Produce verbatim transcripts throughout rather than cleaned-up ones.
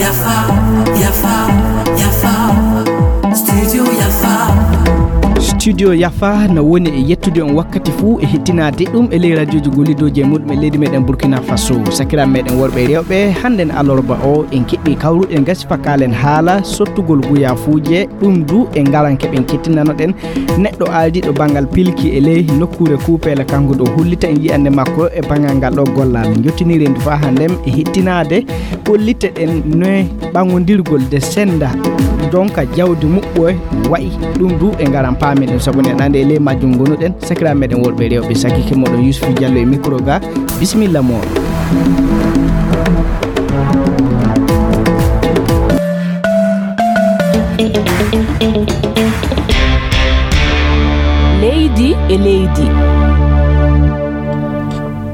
Yafa, yafa, yafa. Studio Yafa. Studio Yafa na woni e yettude on wakkati fuu e hettinaade ɗum e ley radioji gollidooji e muɗum e leydi meɗen Burkina Faso. Sakiraaɓe meɗen worɓe e rewɓe, hannden alarba o en keɓɓi kawruɗen gasi fakkaalen haala sottugol guyafuuje, ɗum du e ngaran keɓen kettinanoɗen neɗɗo ardiiɗo banngal pilki e ley nokkuure Kuupeela, kanko ɗo hollita en yi'annde makko e banngal ngal ɗo gollal. Njottiniren du faa hannden e hettinaade, ɓollite ɗen noye ɓanngondirgol de sennda donka jawdi muɓɓoye wayi. Ɗum du e ngaran paamen ɗum, sabu enen anndi e ley majjum ngonuɗen. Sakiraaɓe meɗen worɓe e rewɓe, sakike moɗon Yusufu Jallo e micro ga. Bisimilla moɗon. Leydi e leydi.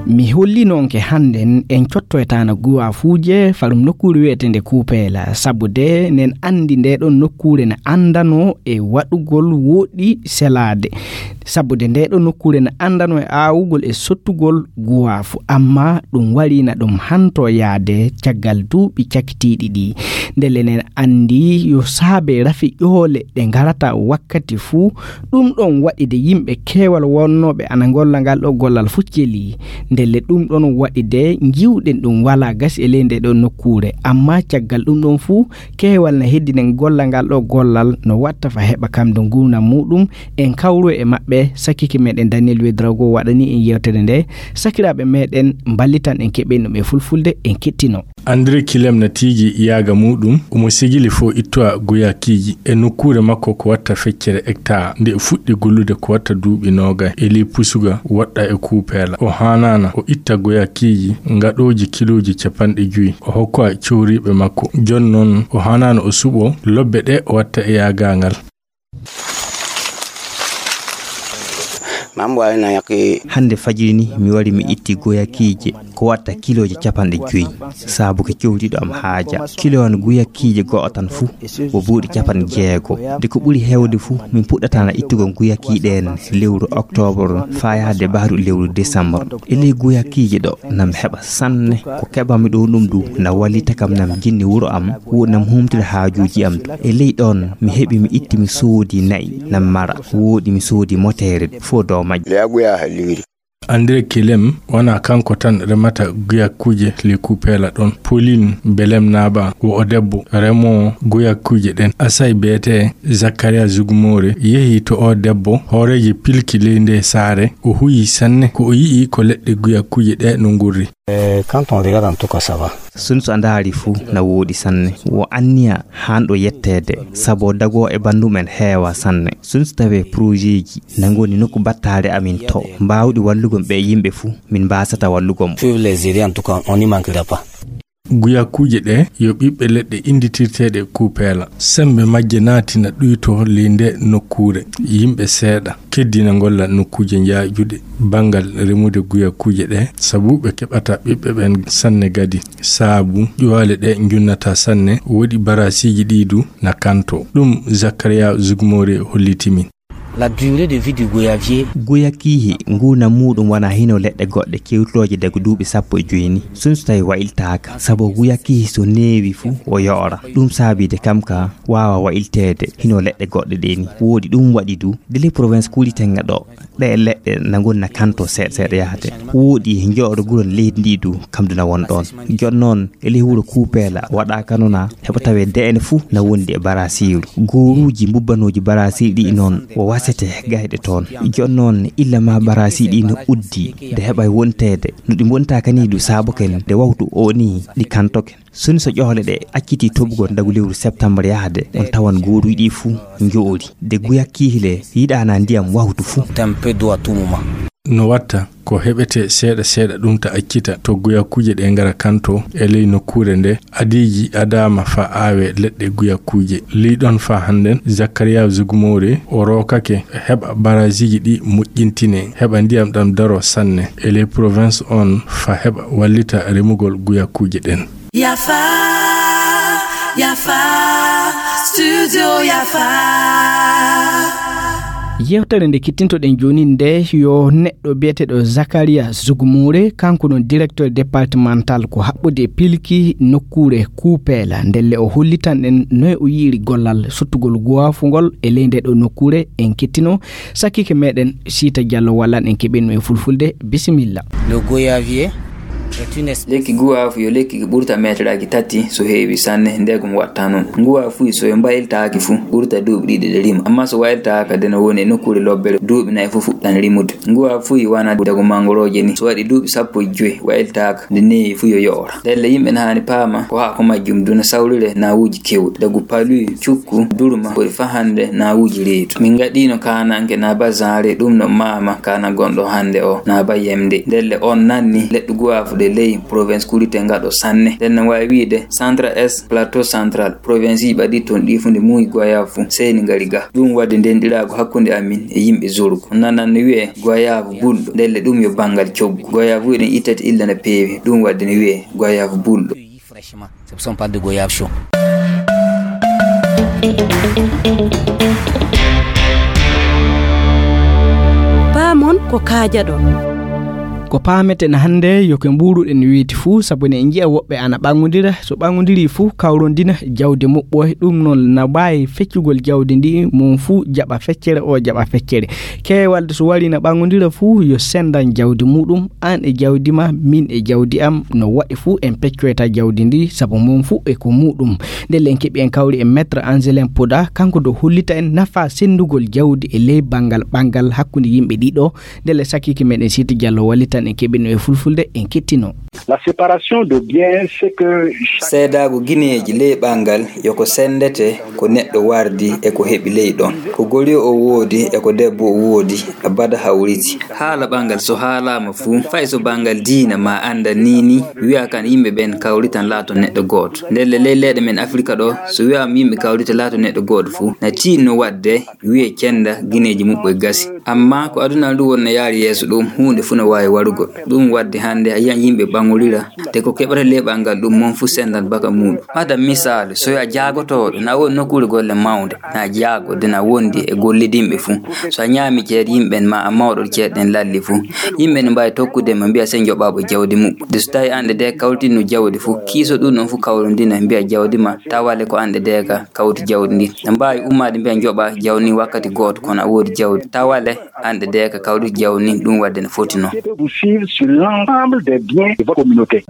Mi holli noon ke hannden en cottoytaano guwaafuuje farum nokkuure wiyeteende Kuupeela, sabu de nen anndi nde ɗon nokkuure ne anndano e waɗugol woɗɗi selaade. Sabu de nde ɗon nokkuure ne anndano e aawugol e sottugol guwaafu, amma ɗum wariina ɗum hanto yaade caggal duuɓi cakitiiɗi ɗi. Ndele nen anndi yo saabe rafi ƴoole ɗe ngarata wakkati fuu. Ɗum ɗon waɗi de yimɓe keewal wonnooɓe ana ngolla ngal ɗo gollal fuu celi. Ndele ɗum ɗon waɗi de njiwɗen ɗum walaa gasi e ley nde ɗo nokkuure. Amma caggal ɗum ɗon fuu, keewal na heddinen golla ngal ɗo gollal no watta fa heɓa kam do nguurndam muuɗum. En kawru e maɓɓe, sakike meɗen Daniel Wedrago waɗani en yewtere nde. Sakiraaɓe meɗen mballitan en keɓen ɗum e fulfulde, en kettino. André Kilem na tiigi yaaga muuɗum, omo sigili fo ittowa guyakiiji e nokkuure makko ko watta feccere hectare. Nde fuɗɗi gollude ko watta duuɓi noogay e ley pusuga woɗɗa e Kuupeela. O haanaana o itta guyakiiji ngaɗooji kilooji capanɗe jowi, o hokkowa cowriiɓe makko. Jooni noon o haanaana o suɓoo lobbe ɗe o watta e yaaga ngal. Hannde fajiri ni mi wari mi itti goyakiije ko watta kilooji capanɗe jowi, saabu ke cowriiɗo am haaja. Kilo an guyakiije go'o tan fuu ko buuɗi capanɗe jeego. De ko ɓuri heewde fuu min puɗɗata na ittugol guyakii ɗeen lewru oktoobar faa yahde bahru lewru desambar. E ley guyakiije ɗo nam heɓa sanne, ko keɓanmi ɗo ɗum du na wallita kam nam jinni wuro am, wo nam humtira haajuuji am du. E ley ɗoon mi heɓi mi itti mi soodi na'i nam mara, wooɗi mi soodi moteere fof dow majje. André Kelem wonaa kanko tan remata guyakuuje ley Kuupeela ɗoon. Pauline Belem Naaba wo o debbo remoowo guyakuuje ɗeen. Asay beetee Zakaria Zugmoore yehi to o debbo hooreeji pilki ley ndee saare. O huyi sanne ko o yi'i ko leɗɗe guyakuuje ɗee no ngurri. Eh, quand on regarde, en tout cas, ça va. Sun so a ndaari fuu na wooɗi sanne. Wo anniya haan ɗo yetteede, sabu dagoo e banndum en heewa sanne. Sun so tawee projetji na ngoni nokku battaare amin to, mbaawɗi wallugol ɓee yimɓe fuu, min mbaasata wallugol mo. Peuvent les aider, en tout cas, on n'y manquera pas. Guyakuuje ɗee yo ɓiɓɓe leɗɗe innditirteeɗe Kuupeela. Semmbe majje naati na ɗuytoo ley ndee nokkuure. Yimɓe seeɗa keddina ngolla nokkuuje njaajuɗe banngal remude guyakuuje ɗee, sabu ɓe keɓata ɓiɓɓe ɓeen sanne gadi. Saabu ƴuwaale ɗee njunnata sanne, woɗi barasiiji ɗii du na kantoo. Ɗum Zakaria Zugmoore holliti min. La durée de vie du goyavier. Guyakiihi nguurndam muuɗum wonaa hino leɗɗe goɗɗe kewtooje dagu duuɓi sappo e joy ni. Sun so tawi wa'iltaaka, sabu guyakiihi so neewi fuu o yoora. Ɗum saabii de kam ka waawa wa'ilteede hino leɗɗe goɗɗe ɗee ni. Wooɗi ɗum waɗi du, de ley province kuuɗi tenga ɗo, ɗee leɗɗe na ngoni na kantoo seeɗa seeɗa yahde. Wooɗi njoɗo guron leydi ndi du, kam du na won ɗoon. Jooni noon, e ley wuro Kuupeela waɗaaka noon na heɓa tawee de'ene fuu na wondi e barasiiru. Gooruuji mbubbanooji barasiiru ɗi noon o wasete gayɗe toon. Jooni noon, illa ma barasiiru ɗi no uddi, de heɓa wonteede no ɗi mbontaaka ni du saaboken de wawtu o ni ɗi kantoken. Soni so ƴohle ɗe accitii toɓugol dagu lewru septembre yahde, on tawan gooruuji ɗi fuu njoori. De guyakiihi le yiɗaana ndiyam wawtu fuu. Tempe do à tout moment. No watta ko heɓetee seeɗa seeɗa ɗum ta accita to guyakuuje ɗe ngara kantoo e ley nokkuure nde. Adiiji adaama faa aawee leɗɗe guyakuuje. Ley ɗoon faa hannden, Zakaria Zugmoore o rookake heɓa barasiiji ɗi moƴƴintinee, heɓa ndiyam ɗam daroo sanne e ley province on faa heɓa wallita remugol guyakuuje ɗen. Yafa, Yafa, Studio Yafa. Yewtere nde kittintoɗen jooni nde, yo neɗɗo biyeteeɗo Zakaria Zugumure, kanko non directeur départemental ko haɓɓude e pilki nokkuure Kuupeela. Ndelle o hollitan en noy o yi'iri gollal sottugol guwaafu ngol e ley nde ɗo nokkuure. En kittino sakkike meɗen Siita Jallo wallan en keɓen mo e fulfulde. Bisimilla. Le goyavier est une espèce. Lekki guwaafu yo lekki ki ɓurta meeteraaji tati, so heewi sanne, ndegum watta noon. Nguwaafuuji so yo mbayltaaki fu, ɓurta duuɓi ɗiɗi ɗe rima. Amma so wayltaaka, de no woni e nokkuure lobbere, duuɓi nayi fu fuɗɗan rimude. Nguwaafuuji wana dago mangorooje ni, so waɗi duuɓi sappo e joy, wayltaaka, nde neewi fu yo yoora. Ndelle yimɓe na haani paama ko haa ko majjum duna sawrire nawuuji kewɗi. Dagu paluy, cukku, durma, ɓuri fa hannde nawuuji reedu. Min ngaɗiino kaananke na ba Zanre, ɗum no maama kaana gonɗo hannde o, na ba Yemde. Ndelle on nanni leɗɗe guwaafu ɗe ley province Kurite ngaɗo sanne. Nden no waawi wiide Centre Est, Plateau Central, province ji ɓaɗi toon ɗi fu nde muuyi goyaafu fu seeni ngari ga. Ɗum waɗde ndenɗiraagu hakkunde amin e yimɓe Zurgo. On nanan no wiyee goyaafu bulɗo. Ndelle ɗum yo banngal coggu. Goyaafu ɗen ittete illa na peewi. Ɗum waɗde no wiyee goyaafu bulɗo. Fraîchement. C'est pour ça on parle de goyave chaud. Paamon ko kaajaɗon. Ko paameten hannde yo ko mbuuruɗen weeti fuu, sabu ne en njiya woɓɓe ana ɓaŋodira, so ɓaŋodiri fuu kawrondina jawdi muɓɓoy. Ɗum noon na mbaawi feccugol jawdi ndi, mum fuu jaɓa feccere, o jaɓa feccere. Keewalde so wari na ɓaŋodira fuu yo senndan jawdi muɗum, aan e jawdi ma, min e jawdi am, no waɗi fuu en peccoyta jawdi ndi, sabu mum fuu e ko muɗum. Ndelle en keɓi en kawri e Maître Angelin Poda, kanko do hollita en nafa senndugol jawdi e ley banngal ɓanngal hakkunde yimɓe ɗiɗo. Ndelle sakkike meɗen Siiti Jallo wallitan en keɓino e fulfulde en kettino. La séparation de biens, c'est que chaque Seedaagu gineeji ley ɓanngal yo ko senndete ko neɗɗo wardi e ko heɓi ley ɗon. Ko goriyo o woodi e ko debbo o woodi, abada hawriti. Haala ɓanngal so haalaama fuu, fay so banngal diina ma anndan nii nii, wiya kan yimɓe ɓen kawritan laato neɗɗo gooto. Ndelle ley leyɗe men Afirka ɗo, so wiyaama yimɓe kawrita laato neɗɗo gooto fuu, na tiinno waɗde wiye cennda gineeji muɓɓoy gasi. Amma ko aduna ndu won no yaari yeeso ɗum, huunde fuu no waawi warugol. Ɗum waɗde hannde a yiyan yimɓe ɓaŋorira, de ko keɓata ley ɓanngal ɗum mon fuu senndan baka muuɗum. Madan misaalu, so yo a jaagotooɗo, na woni nokkuure golle mawnde, na jaago, de na wondi e gollidinɓe fuu. So a ñaami ceede yimɓe ɓen, ma a mawɗo ceede ɗen lalli fuu, yimɓe ne mbaawi tokkude ma, mbiya sey njoɓaa ɓe jawdi muɓɓo. De so tawi aan de kawritinno jawdi fuu, kiiso ɗum ɗon fuu kawrondina, mbiya jawdi ma, tawale ko aan de ka kawti jawdi ndi. Ne mbaawi ummaade mbiya njoɓaa jawdi ndi wakkati gooto, kono a woodi jawdi. Tawale aan de ka kawti jawdi ndi, ɗum waɗde ne foti noon. Vous suivre sur l'ensemble des biens de votre communauté.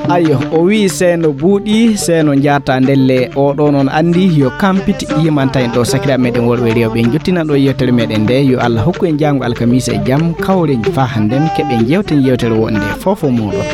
Ayo, o wii seeno buuɗi, seeno njaata ndelle. O ɗo noon anndi yo kampiti yimanta en ɗo sakiraaɓe meɗen worɓe e rewɓe. En jottinan ɗo yewtere meɗen nde. Yo Allah hokku en jaango alkamisa e jam, kawren faa hannden, keɓen jewten yewtere wonde fofo muɗum.